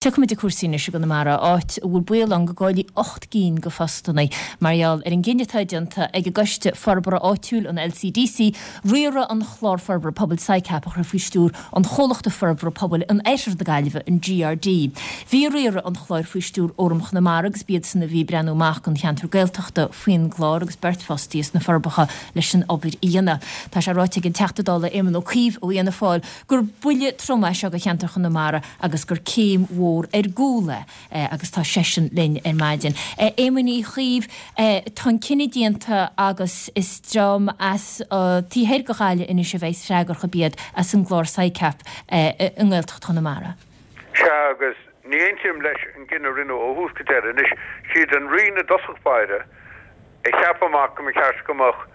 Tiocfaimid ag cúrsaí anois i gConamara, áit a bhfuil baol ann go gcaillfí 8 gcinn de phostanna mar gheall ar an gcinneadh atá déanta ag an gCoiste Forbartha Áitiúil, an LCDC, riaradh an Chláir Forbartha Pobail, SICAP, a chur faoi stiúir an Chomhlachta Forbartha Pobail in Oirthear na Gaillimhe, an GRD. Bhí riaradh an chláir faoi stiúir Fhóram Chonamara agus b'iadsan a bhí ag breathnú amach don cheantar Gaeltachta faoin gclár agus beirt fostaithe sna Forbacha leis an obair a dhéanamh. Tá sé ráite ag an Teachta Dála Éamon Ó Cuív ó Fhianna Fáil gur buille trom é seo do cheantar Chonamara agus gur céim mhór ar gcúl é agus tá seisean linn ar maidin. A Éamoin Uí Chuív, tá an cinneadh déanta agus is dream as taobh thoir de Ghaillimh anois a bheas freagrach ab iad as an gclár SICAP i nGaeltacht Chonamara. Sea, agus ní aontaím leis an gcinneadh a rinneadh ó thús go deireadh. Anois, siad an Roinn i dtosach báire a cheap amach go mba cheart go mbeadh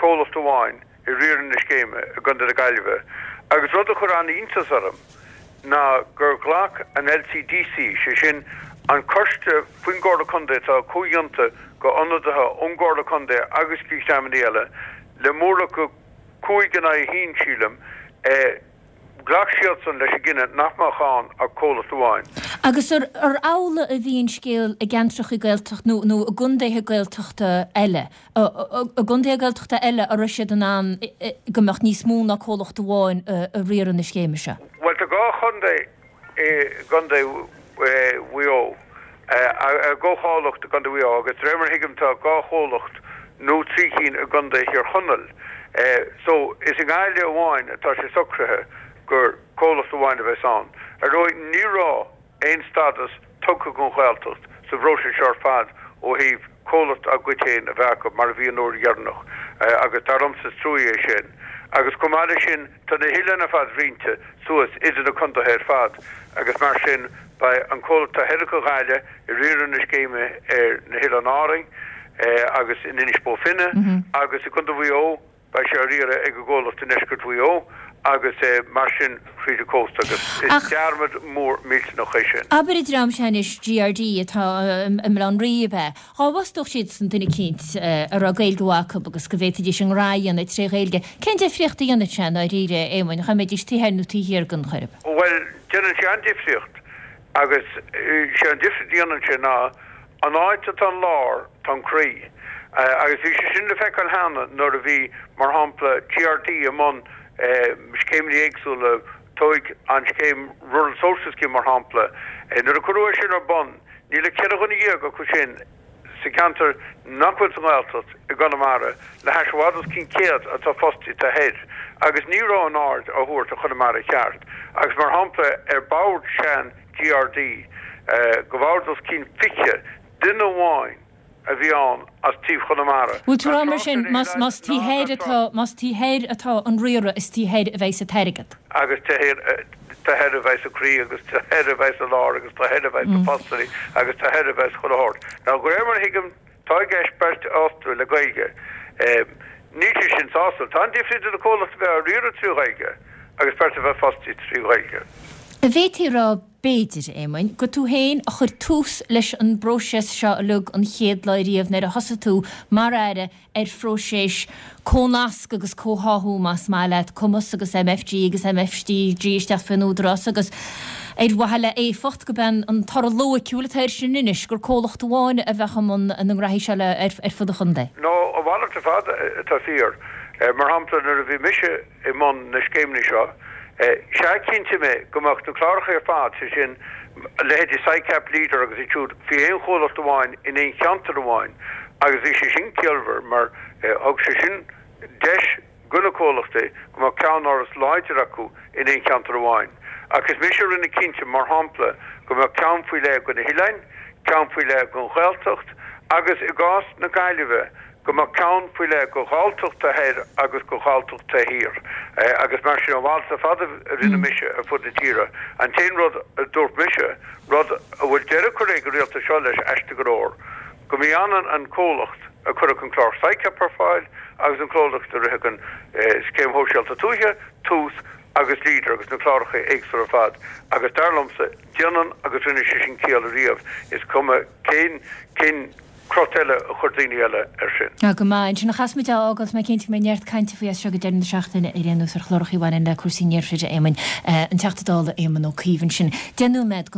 comhlacht amháin ag riaradh na scéime i gContae na Gaillimhe agus rud a chuir an-iontas orm ná gur ghlac an LCDC, sé sin an coiste faoin gComhairle Contae atá comhdhéanta de ionadaithe ón gComhairle Contae agus de dhreamanna eile, le móramh de 5 in aghaidh 1, sílim, Ghlac siadsan leis an gcinneadh nach mbeadh ann ach comhlacht amháin. Agus ar amhlaidh a bhí an scéal i gceantracha Gaeltachta nó nó i gcontaetha Gaeltachta eile? I gcontaetha Gaeltachta eile an raibh siad in ann go mbeadh níos mó ná comhlacht amháin ag riaradh na scéime seo? Bhuel, tá 2 chontae i gContae Mhaigh Eo, 2 chomhlacht i gContae Mhaigh Eo agus de réir mar a thuigim tá 2 chomhlacht nó 3 cinn i gContae Thír Chonaill. So, is i nGaillimh amháin atá sé socraithe gur comhlacht amháin a bheas ann. Ar ndóigh, ní raibh aon stádas tugtha don Ghaeltacht sa bpróiseas seo ar fad ó thaobh comhlacht dá gcuid féin a bheith acu mar a bhí an uair dheireanach agus dar liomsa is trua é sin. Agus chomh maith leis sin, Tá na hoileáin ar fad roinnte suas idir na contaetha ar fad agus mar sin beidh an comhlacht taobh thoir de Ghaillimh ag riaradh na scéime ar na hOileáin Árainn agus in Inis Bó Finne agus i gContae Mhaigh Eo beidh sé á riaradh ag an gcomhlacht i ndeisceart Mhaigh Eo agus mar sin fríd an cósta agus is dearmad mór millteanach é sin. Abair an dream seo anois, GRD, atá i mBaile Átha an Rí, ab ea? Dá bhfostódh siadsan duine eicínt a raibh Gaeilge mhaith acu agus go bhféadfaidís a ngnó a dhéanamh tré Ghaeilge, cén difríocht a dhéanfadh sé i ndáiríre, a Éamoinn, dhá mbeidís taobh thoir nó taobh thiar den Choirib? Bhuel, déanann sé an-difríocht agus sé an difríocht a dhéanann sé ná an áit atá an lár, tá an croí. Agus bhí sé sin le feiceáil cheana nuair a bhí, mar shampla, GRD i mbun scéimeanna éagsúla, tóig an scéim Rural Social Scheme mar shampla, nuair a cuireadh é sin ar bun, Níl ach 14 dhuine acu sin sa cheantar nach bhfuil sa nGaeltacht i gConamara le hais i bhfad os cionn 100 atá fostaithe taobh thoir agus ní raibh an aird á thabhairt ar Chonamara i gceart agus mar shampla ar bhord sean GRD go bhfad os cionn 20 duine amháin a bhí ann as taobh Chonamara. Bhfuil tú ag rá mar sin más taobh thoir atá más taobh thoir atá an riaradh is taobh thoir a bheidh sa t-airgead? Agus taobh thoir a bheidh sa croí agus taobh thoir a bheidh sa lár agus taobh thoir a bheidh sna postannaí agus taobh thoir a bheidh chuile shórt. Now de réir mar a thuigim tá i gceist beirt a fhostú le Gaeilge. Níl sé sin sásúil. Tá an-difríocht idir comhlacht a bheith á riaradh trí Ghaeilge agus beirt a bheith fostaithe trí Ghaeilge. An bhféadfaí a rá B'fhéidir, a Éamoinn, gur tú féin a chuir tús leis an bpróiseas seo uilig an chéad lá riamh nuair a thosaigh tú mar Aire ar phróiseas comhnasc agus comhtháthú, más maith leat, Cumas agus MFG agus MFDG isteach faoin Údarás agus ar mhaithe le éifeacht, gurb é an toradh loighciúil atá air sin anois gur comhlacht amháin a bheadh i mbun na ngraithí seo ar fud an chontae. No, a mhalairt ar fad atá fíor. Mar shampla, nuair a bhí mise i mbun na scéimeanna seo, sea, chinntigh mé go mbeadh na cláracha ar fad, sé sin, leithéidí SICAP, Leader agus iad siúd, faoi aon chomhlacht amháin in aon cheantar amháin agus bhí sé sin ciallmhar mar thug sé sin deis do na comhlachtaí go mbeadh ceannáras láidir acu in aon cheantar amháin. Ach is mise a rinne cinnte, mar shampla, go mbeadh ceann faoi leith do na hoileáin, ceann faoi leith don Ghaeltacht agus i gcás na Gaillimhe, go mbeadh ceann faoi leith do Ghalltacht taobh thoir agus do Ghalltacht taobh thiar agus mar sin a mhalairt ar fad a rinne mise ar fud na tíre. An t-aon rud a dúirt mise, rud a bhfuil deireadh curtha ag an rialtas seo leis aisteach go leor, go mba ionann an comhlacht a chuirfeadh an clár SICAP ar fáil agus an comhlacht a rithfeadh an Scéim Shóisialta Tuaithe, Tús agus Leader agus na cláracha éagsúla ar fad agus dar liomsa, déanann agus rinne sé sin ciall ariamh, is cuma cén, cén. crot eile a chuir daoine eile air sin. Tá go maith. Ansin a chaithfimid é a fhágáil, tá mé cinnte go mbeidh neart cainte faoi as seo go deireadh na seachtaine ar aon nós ar chláracha a bhaineann le cúrsaí an iarthair, a Éamoinn. An Teachta Dála Éamon Ó Cuív ansin. 9:09.